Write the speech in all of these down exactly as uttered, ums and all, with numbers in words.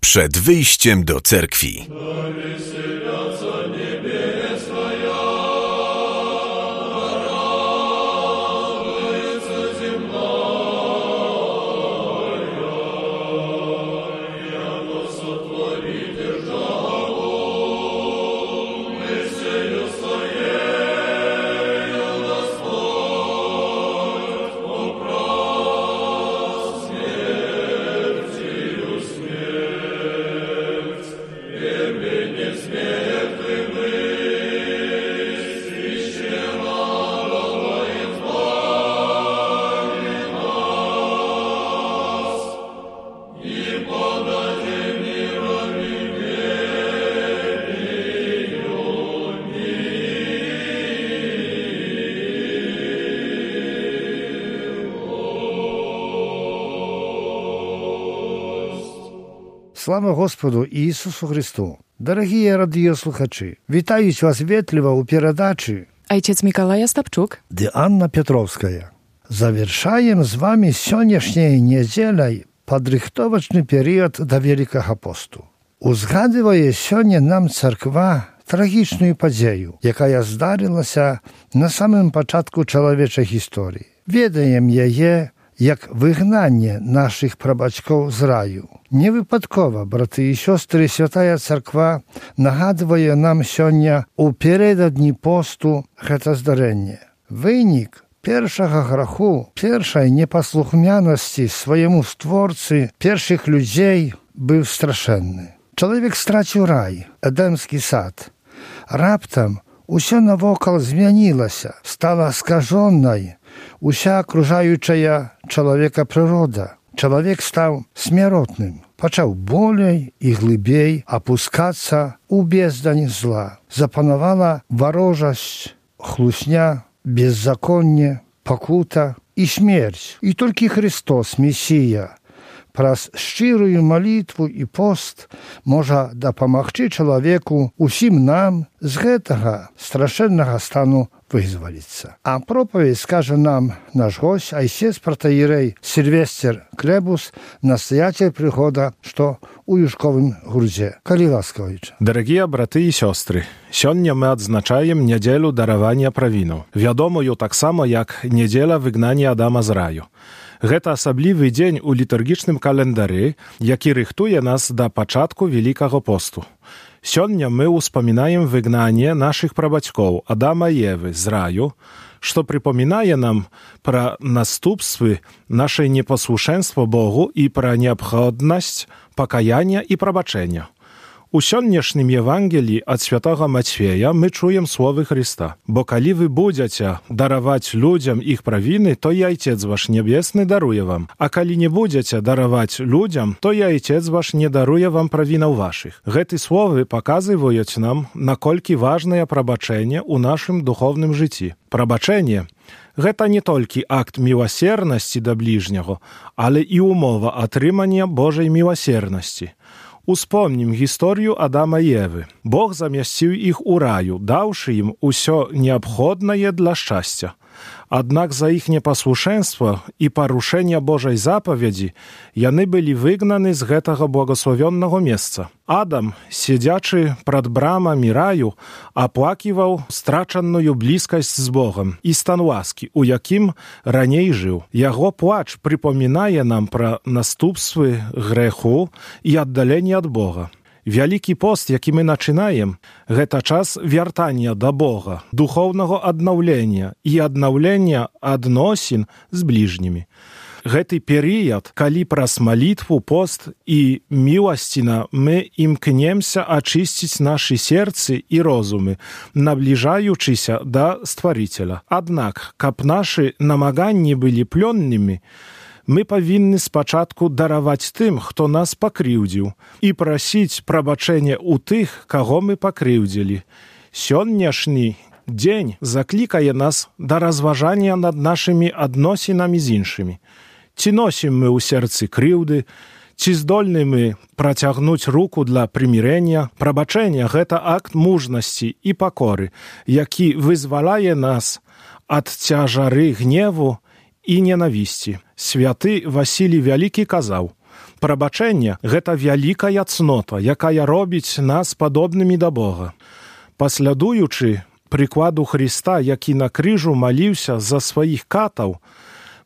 przed wyjściem do cerkwi. Слава Господу Ісусу Христу! Дорогі радіослухачі, вітають вас вітливо у передачі Ojciec Mikołaj Ostapczuk «Dy Anna Piotrowska». Завершаем з вами сённяшняй недзеляй падрыхтовачны перыяд да Вялікага посту. Узгадывае сёння нам царква трагічную падзею, якая здарылася на самым пачатку чалавечай гісторыі. Ведаем яе як выгнанне нашых прабацькоў з раю. Невыпадкова, браты і сёстры, святая царква нагадвае нам сёння у перададні посту гэта здарэнне. Вынік першага граху, першай непаслухмянасці свайму створцы першых людзей быў страшэнны. Чалавек страціў рай, эдэмскі сад. Раптам усё навокал змянілася, стала скажонай уся акружаючая чалавека прырода. Чалавек стаў смяротным, пачаў болей і глыбей апускацца ў бездань зла. Запанавала варожасць, хлусня, беззаконне, пакута і смерць. І толькі Христос, Месія, праз шчырую малітву і пост можа дапамагчы чалавеку, усім нам з гэтага страшэннага стану вызваліцца. А пропаведь скажа нам наш госць, айцец протоіерей Сильвестр Клебус, настоятель прыхода, што у Юшковым грудзе. Калі ласкавіч. Дарагія браты і сёстры, сёння мы адзначаем нядзелю даравання правінаў, вядомую таксама як нядзеля выгнання Адама з раю. Гэта асаблівы дзень у літургічным календары, які рыхтуе нас да пачатку Вялікага посту. Сёння мы ўспамінаем выгнанне нашых прабацькоў Адама і Евы з раю, што прыпамінае нам пра наступствы нашай непаслушэнства Богу і пра неабходнасць пакаяння і прабачэння. У сённяшнім Евангеліі ад святога Мацфея мы чуем словы Христа. «Бо калі вы будзеце дараваць людзям іх правіны, то і Айцец ваш Нябесны даруе вам. А калі не будзеце дараваць людзям, то і Айцец ваш не даруе вам правінаў вашых». Гэты словы паказваюць нам, наколькі важнае прабачэнне ў нашым духовным жыцці. Прабачэнне – гэта не толькі акт міласернасці да бліжняго, але і умова атрымання Божай міласернасці. Успомнім гісторыю Адама і Евы. Бог замясціў іх у раю, даўшы ім усё неабходнае для шчасця. Аднак за іх непаслушэнства і парушэння Божай запаведзі яны былі выгнаны з гэтага благословеннага месца. Адам, сядзячы прад брамамі раю, аплаківаў страчаную блізкасць з Богам і стан ласкі, у якім раней жыў. Яго плач прыпамінае нам пра наступствы грэху і аддаленне ад Бога. Вялікі пост, які мы начинаем, гэта час вяртання да Бога, духоўнага аднаўлення і аднаўлення адносін з бліжнімі. Гэты перыяд, калі праз малітву, пост і міласціна мы імкнемся ачысціць нашы серцы і розумы, набліжаючыся да Стварыцеля. Аднак, каб нашы намаганні былі плённымі, мы павінны спачатку дараваць тым, хто нас пакрыўдзіў, і прасіць прабачэння ў тых, каго мы пакрыўдзілі. Сённяшні дзень заклікае нас да разважання над нашымі адносінамі з іншымі. Ці носім мы ў сэрцы крыўды, ці здольны мы працягнуць руку для прымірэння. Прабачэнне – гэта акт мужнасці і пакоры, які вызваляе нас ад цяжары гневу і ненавісці. Святы Васілій Вялікі казаў: Прабачэнне – гэта вялікая цнота, якая робіць нас падобнымі да Бога. Паслядуючы прыкладу Христа, які на крыжу маліўся за сваіх катаў,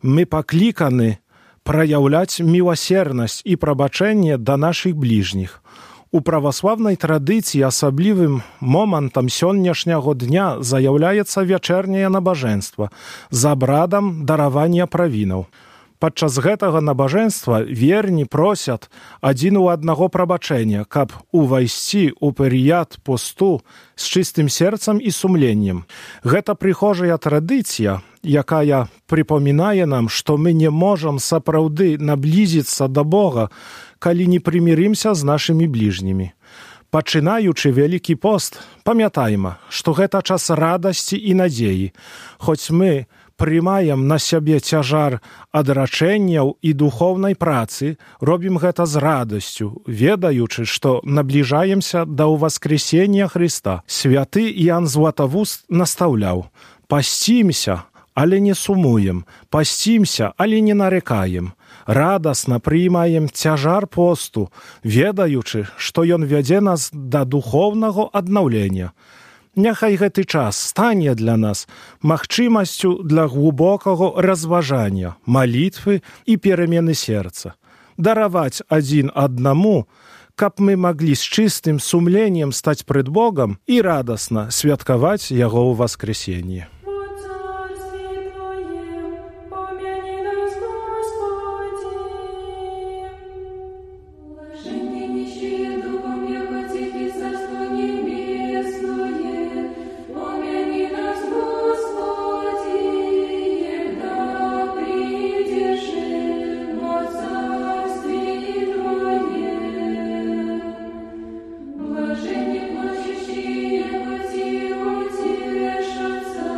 мы пакліканы праяўляць міласернасць і прабачэнне да нашых бліжніх. У праваславнай традыцыі асаблівым момантам сённяшняго дня заяўляецца вячэрняе набажэнства з абрадам даравання правінаў. Падчас гэтага набажэнства верні просяць адзін у аднаго прабачэння, каб увайсці ў перыяд посту з чыстым сэрцам і сумленнем. Гэта прыхожая традыцыя, якая прыпамінае нам, што мы не можам сапраўды наблізіцца да Бога, калі не прымірымся з нашымі бліжнімі. Пачынаючы Вялікі пост, памятайма, што гэта час радасці і надзеі, хоць мы прымаем на сябе цяжар адрачэнняў і духоўнай працы, робім гэта з радасцю, ведаючы, што набліжаемся да ўваскрэсення Хрыста. Святы Іан Златавуст настаўляў: «Пасцімся, але не сумуем, пасцімся, але не нарекаем. Радасна прыймаем цяжар посту, ведаючы, што ён вядзе нас да духоўнага аднаўлення». Няхай гэты час стане для нас магчымасцю для глубокага разважання, малітвы і перамены сэрца. Дараваць адзін аднаму, каб мы маглі з чыстым сумленнем стаць пред Богам і радасна святкаваць Яго ўваскрэсенне. Блаженні плачущі, яко ті утішаться,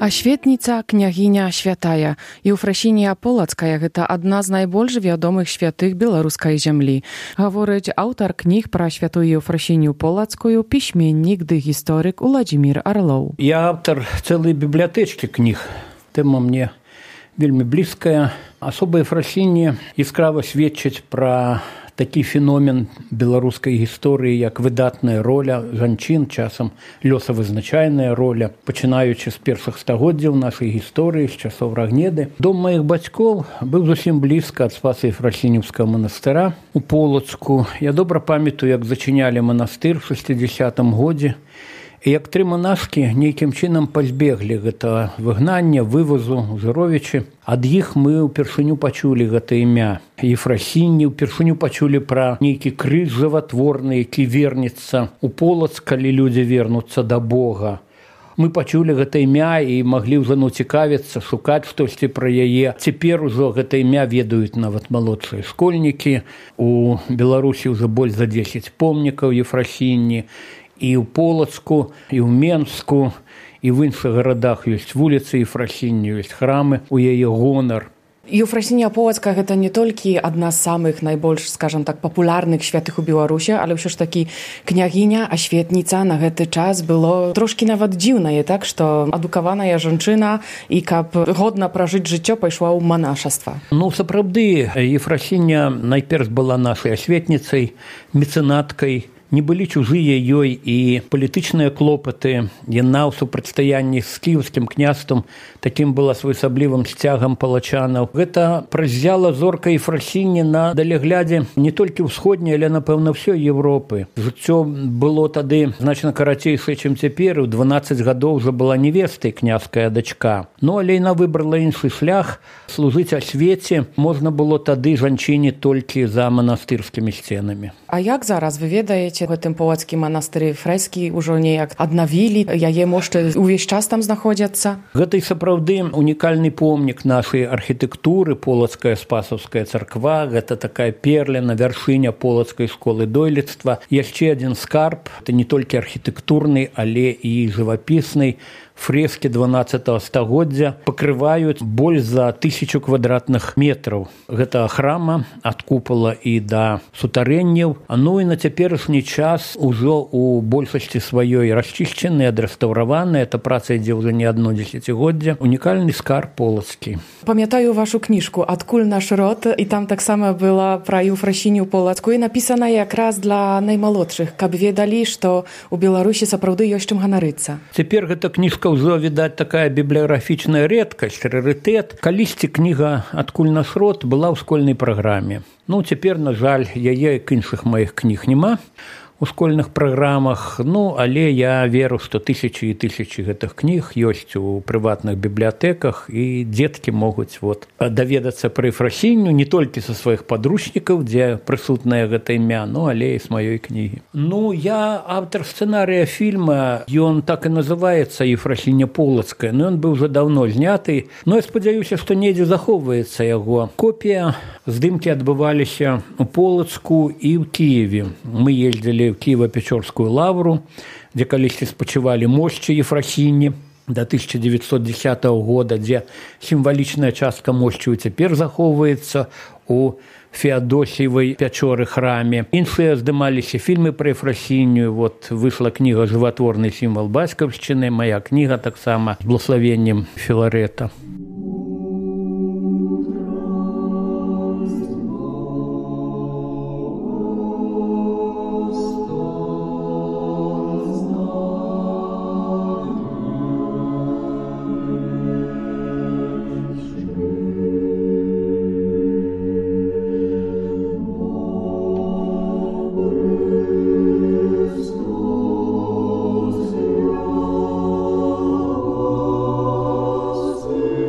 Аświetnica княгиня Świętaja. Eufrosinia Polackaja – гэта адна з найбольш вядомых святых беларускай зямлі. Гаворыць аўтар кніг пра святую Eufrosiniu Polacкую, пісьменнік ды гісторык Уладзімір Арлоў. Я автор целой библиотечки книг. Тема мне вельмі блізкая. Асоба Eufrosinia яскрава сведчыць пра такі феномен беларускай гісторыі, як выдатная роля жанчын, часам лёсавызначальная роля, пачынаючы з першых стагоддзяў нашай гісторыі, з часоў Рагнеды. Дом маіх бацькоў быў зусім блізка ад Спаса-Ефрасініўскага манастыра у Полацку. Я добра памятаю, як зачынялі манастыр у шэсцідзясятым годзе. І як тры манашкі нейкім чынам пазбеглі гэтага выгнання, вывозу, Жыровічы. Ад іх мы ўпершыню пачулі гэта імя Ефросіні, ўпершыню пачулі пра нейкі крыж жыватворны, які вернецца у Полацк, калі людзі вернуцца да Бога. Мы пачулі гэта імя і маглі ўжо ну цікавіцца, шукаць штосьці пра яе. Цяпер ужо гэта імя ведаюць нават малодшыя школьнікі. У Беларусі ўжо больш за дзесяць помнікаў Ефросіні. І ў Полацку, і ў Менску, і в іншых гарадах ёсць вуліцы Ефросіні, ёсць храмы у яе гонар. Eufrosinia Polacka – гэта не толькі адна з самых найбольш, скажам так, папулярных святых у Беларусі, але ўсё ж такі княгіня, аświetnica на гэты час было трошкі нават дзіўнае, так, што адукаваная жанчына і каб годна пражыць жыццё пайшла ў манашаства. Ну, сапраўды, Ефросіня найперш была нашай асветніцай, мецэнаткай. Не былі чужыя ёй і палітычныя клопаты. Яна ў супрацьстаянні з кіеўскім княствам такім была своеасаблівым сцягам палачанаў. Гэта празяла зорка Ефросіні на далеглядзе не толькі ўсходняй, але, напэўна, ўсёй Европы. Жыццё было тады значна карацейшае, чым цяпер. У дванаццаць гадоў уже была невестай княская дачка. Ну, але яна выбрала іншы шлях. Служыць асвеце можна было тады жанчыне толькі за манастырскімі сценамі. А як зараз вы ведаеце, у гэтым полацкім манастыры фрэскі ўжо неяк аднавілі, яе мошты ўвесь час там знаходзяцца? Гэта і сапраўды унікальны помнік нашай архітэктуры, Полацкая Спасаўская царква. Гэта такая перліна, вяршыня полацкай школы дойлідства. Яшчэ адзін скарб, это не толькі архітэктурны, але і жывапісны. Фрэскі дванаццатага стагоддзя пакрываюць больш за тысячу квадратных метраў. Гэта храма ад купала і да сутарэнняў. Ну і на цяперашні час ужо у большасці сваёй расчышчаны, адрэстаўраваны. Эта праца ідзе ўжо не адно дзесяцігоддзе. Унікальны скарб полацкі. Памятаю вашу кніжку «Адкуль наш род», і там таксама была пра Eufrosiniu Polacку і напісана якраз для наймалодшых, каб ведалі, што у Беларусі сапраўды ёсць чым ганарыцца. Цяпер гэта кніжка ўжо, відаць, такая бібліяграфічная рэдкасць, рарытэт. Калісьці кніга «Адкуль наш род» была ў школьнай праграме. Ну, цяпер, на жаль, яе к іншых маіх кніг няма у школьных праграмах. Ну, але я веру, што тысячы і тысячы гэтых кніг ёсць у прыватных бібліятэках, і дзеткі могуць вот даведацца пра Ефросіню не толькі са сваіх падручнікаў, дзе прысутнае гэта імя, ну, але і з маёй кнігі. Ну, я аўтар сцэнарыя фільма, ён так і называецца «Ефросиня Полацкая», но ён быў уже даўно зняты. Ну, я спадзяюся, што недзе захоўваецца яго копія. Здымкі адбываліся у Полацку і ў Кіеве. Мы ездзілі в Киево-Печорскую лавру, дзе калісьці спачывалі мошчы Ефросіні да тысяча девятьсот десятого года, дзе сімвалічная частка мошчаў цяпер захоўваецца у Феадосіевай пячоры храме. Іншыя здымаліся фільмы пра Ефросінію. Вот выйшла кніга «Жыватворны сімвал бацькаўшчыны», мая кніга таксама з благословеннем Філарэта. Christus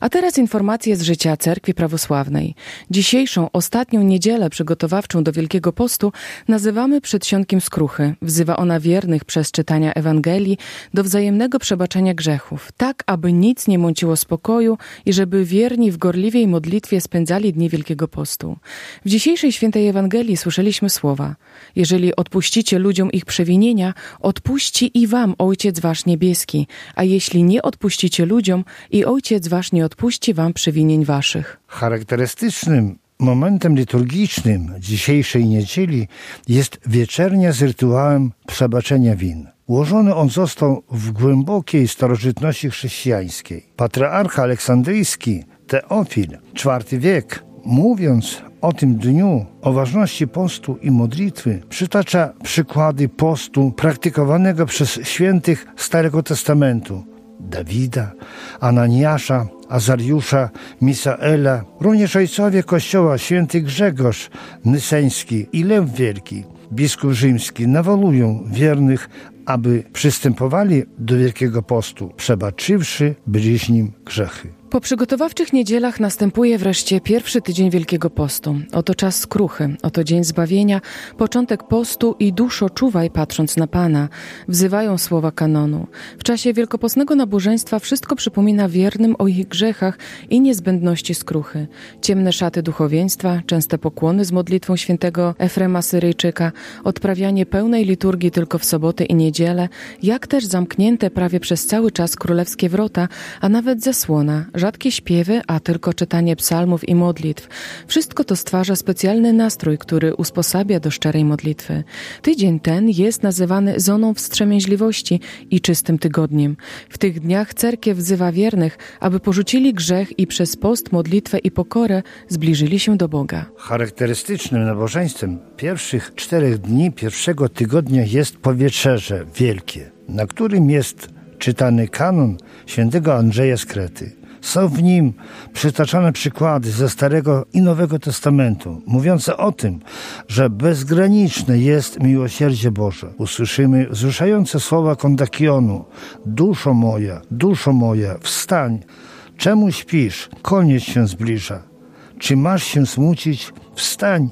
A teraz informacje z życia Cerkwi Prawosławnej. Dzisiejszą, ostatnią niedzielę przygotowawczą do Wielkiego Postu nazywamy przedsionkiem skruchy. Wzywa ona wiernych przez czytania Ewangelii do wzajemnego przebaczenia grzechów, tak aby nic nie mąciło spokoju i żeby wierni w gorliwej modlitwie spędzali dni Wielkiego Postu. W dzisiejszej świętej Ewangelii słyszeliśmy słowa: jeżeli odpuścicie ludziom ich przewinienia, odpuści i wam Ojciec wasz niebieski, a jeśli nie odpuścicie ludziom, i Ojciec wasz nie odpuści wam przewinień waszych. Charakterystycznym momentem liturgicznym dzisiejszej niedzieli jest wieczernia z rytuałem przebaczenia win. Ułożony on został w głębokiej starożytności chrześcijańskiej. Patriarcha aleksandryjski Teofil, czwarty wiek, mówiąc o tym dniu, o ważności postu i modlitwy, przytacza przykłady postu praktykowanego przez świętych Starego Testamentu: Dawida, Ananiasza, Azariusza, Misaela, również ojcowie Kościoła święty Grzegorz Nyseński i Lew Wielki, biskup rzymski, nawołują wiernych, aby przystępowali do Wielkiego Postu, przebaczywszy bliźnim grzechy. Po przygotowawczych niedzielach następuje wreszcie pierwszy tydzień Wielkiego Postu. Oto czas skruchy, oto dzień zbawienia, początek postu i duszo czuwaj patrząc na Pana, wzywają słowa kanonu. W czasie wielkopostnego nabożeństwa wszystko przypomina wiernym o ich grzechach i niezbędności skruchy. Ciemne szaty duchowieństwa, częste pokłony z modlitwą świętego Efrema Syryjczyka, odprawianie pełnej liturgii tylko w soboty i niedzielę, jak też zamknięte prawie przez cały czas królewskie wrota, a nawet zasłona, rzadkie śpiewy, a tylko czytanie psalmów i modlitw. Wszystko to stwarza specjalny nastrój, który usposabia do szczerej modlitwy. Tydzień ten jest nazywany zoną wstrzemięźliwości i czystym tygodniem. W tych dniach cerkiew wzywa wiernych, aby porzucili grzech i przez post, modlitwę i pokorę zbliżyli się do Boga. Charakterystycznym nabożeństwem pierwszych czterech dni pierwszego tygodnia jest powietrzerze wielkie, na którym jest czytany kanon świętego Andrzeja z Krety. Są w nim przytaczane przykłady ze Starego i Nowego Testamentu, mówiące o tym, że bezgraniczne jest miłosierdzie Boże. Usłyszymy wzruszające słowa kondakionu: duszo moja, duszo moja, wstań, czemu śpisz? Koniec się zbliża. Czy masz się smucić? Wstań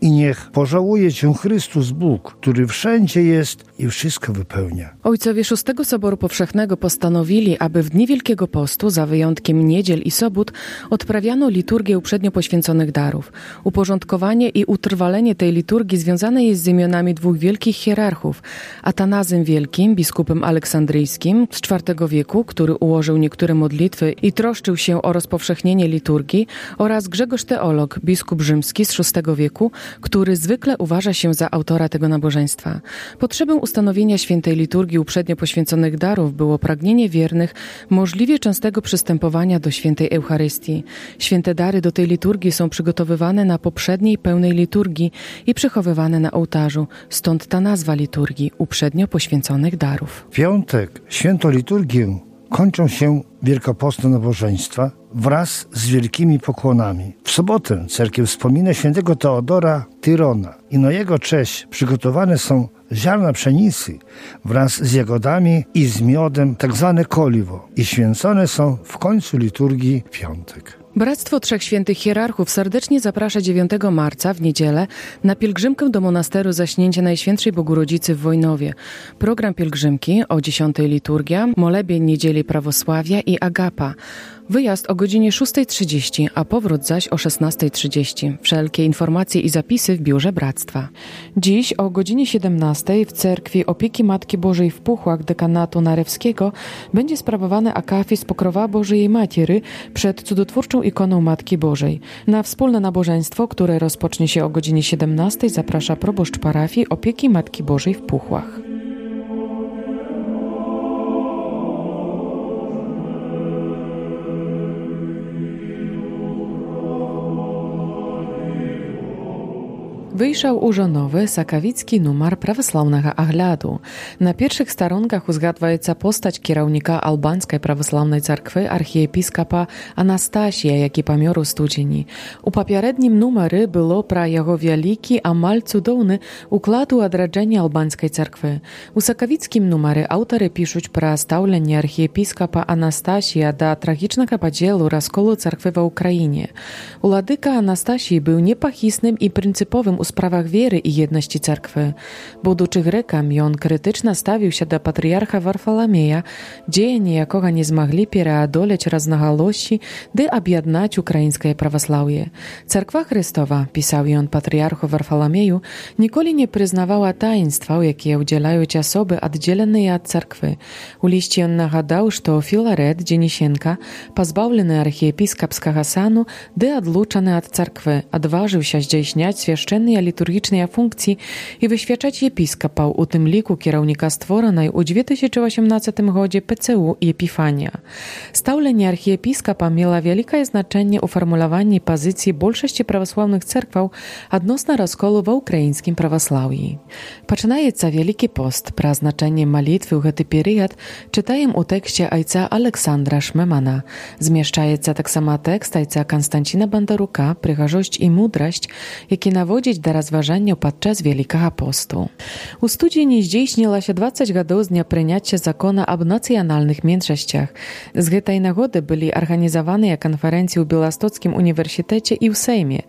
i niech pożałuje cię Chrystus Bóg, który wszędzie jest i wszystko wypełnia. Ojcowie Szóstego Soboru Powszechnego postanowili, aby w dni Wielkiego Postu, za wyjątkiem niedziel i sobót, odprawiano liturgię uprzednio poświęconych darów. Uporządkowanie i utrwalenie tej liturgii związane jest z imionami dwóch wielkich hierarchów: Atanazem Wielkim, biskupem aleksandryjskim z czwartego wieku, który ułożył niektóre modlitwy i troszczył się o rozpowszechnienie liturgii, oraz Grzegorz Teolog, biskup rzymski z szóstego wieku, który zwykle uważa się za autora tego nabożeństwa. Potrzebę ustanowienia świętej liturgii uprzednio poświęconych darów było pragnienie wiernych możliwie częstego przystępowania do świętej Eucharystii. Święte dary do tej liturgii są przygotowywane na poprzedniej pełnej liturgii i przechowywane na ołtarzu, stąd ta nazwa liturgii uprzednio poświęconych darów. W piątek świętą liturgię kończą się wielkopostne nabożeństwa wraz z wielkimi pokłonami. W sobotę cerkiew wspomina świętego Teodora Tyrona i na jego cześć przygotowane są ziarna pszenicy wraz z jagodami i z miodem, tak zwane koliwo, i święcone są w końcu liturgii w piątek. Bractwo Trzech Świętych Hierarchów serdecznie zaprasza dziewiątego marca w niedzielę na pielgrzymkę do monasteru Zaśnięcia Najświętszej Bogorodzicy w Wojnowie. Program pielgrzymki o dziesiątej liturgia, molebień niedzieli prawosławia i agapa. Wyjazd o godzinie szóstej trzydzieści, a powrót zaś o szesnastej trzydzieści. Wszelkie informacje i zapisy w biurze Bractwa. Dziś o godzinie siedemnastej w cerkwi Opieki Matki Bożej w Puchłach dekanatu Narewskiego będzie sprawowany akafist Pokrowa Bożej Matiery przed cudotwórczą ikoną Matki Bożej. Na wspólne nabożeństwo, które rozpocznie się o godzinie siedemnastej, zaprasza proboszcz parafii Opieki Matki Bożej w Puchłach. Wyjrzał ужо nowy sakawicki numer prawosławnego aгляду. Na pierwszych staronkach uzgadwaється postać kierownika albańskiej prawosławnej cerkwy archiepiskopa Anastasija, jaki pomioru studzieni. U poprzednim numery było pra jego wielki, amal cudowny układu odradzenia albańskiej cerkwy. U sakawickim numery autory piszą pra stawlenie archiepiskopa Anastasija do tragicznego podziału rozkolu cerkwy w Ukrainie. Uladyka Anastasij był niepochisnym i pryncypowym u sprawach wiery i jedności cerkwy. Будучи греком, он критично ставився до патріарха Варфоломея, діяння якого не змогли переодолеть разноголосі, де об'єднать українське православ'я. Церква Христова, писав он патріарху Варфоломею, ніколи не признавала таїнства, які уділяють особи, відділені від церкви. У листі он нагадав, що Філарет Денисенко, позбавлений архієпископського сану, де одлучений від церкви, odważył здійснять священні літургічні функції і висвячать єпископів, у тим ліку кірівника створеної у дві тисячі вісімнадцятому годі ПЦУ Єпіфанія. Ставлення архієпископа мало велике значення у формулюванні позиції більшості православних церкв відносно розколу в українському православ'ї. Починається Великий пост. Про значення молитви у цей період читаємо у тексті отця Олександра Шмемана. Зміщається так само текст отця Константина Бондарука «Пригожость і мудрость», які наводять до розважання podczas Wielkiego Postu. U studzieni zdійснилося двадцять годів з дня прийняття закону об національних меншостях. З цієї нагоди були організовані конференції у Білостоцькому університеті і в Сеймі.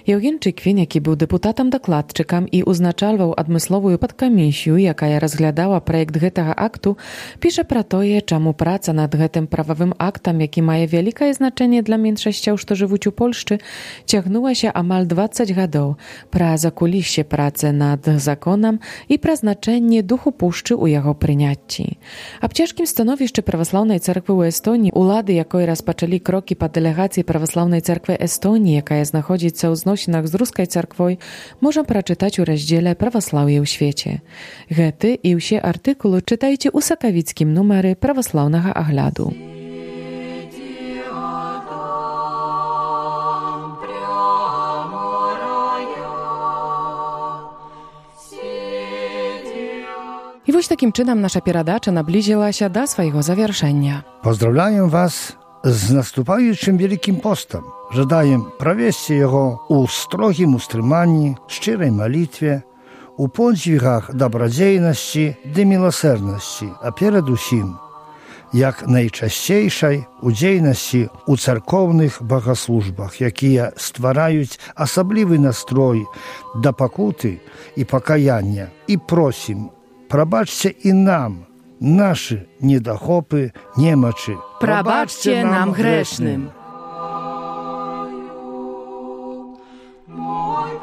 Євген Чиквін, який був депутатом-докладчиком і узначальвав адмислову подкомісію, яка розглядала проєкт цього акту, пише про те, чому праця над цим правовим актом, який має велике значення для меншостей, що живуть у Польщі, тягнулася амаль двадцять годів, про закулісся праці над законом і про значення духу Польщі у його прийнятті. А в тяжкім становищі Православної церкви у Естонії, улади якої розпочали кроки по делегації Православної церкви Естонії, яка знаходиться у зносинах з Руською церквою, можна прочитати у розділі «Православ'я у світі». Гети і всі артикули читайте у сакавицькім номері Православного огляду. I właśnie takim czynem nasza передача наблизила się do swojego zawieszenia. Pozdrawiam Was z następującym Wielkim Postem. Żedaję провести jego u strogim ustrzymanni, szczerej modlitwie, u podźwigach dobrodziejności i miłosierności, a przede wszystkim jak najczęściejszej udzielności u cerkownych bogosłużbach, jakie stwarzają osobliwy nastrój do pokuty i pokajania. I prosimy, probaczcie i nam nasze niedochopy, niemaczy. Probaczcie nam grzesznym. Oh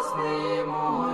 радостный мой.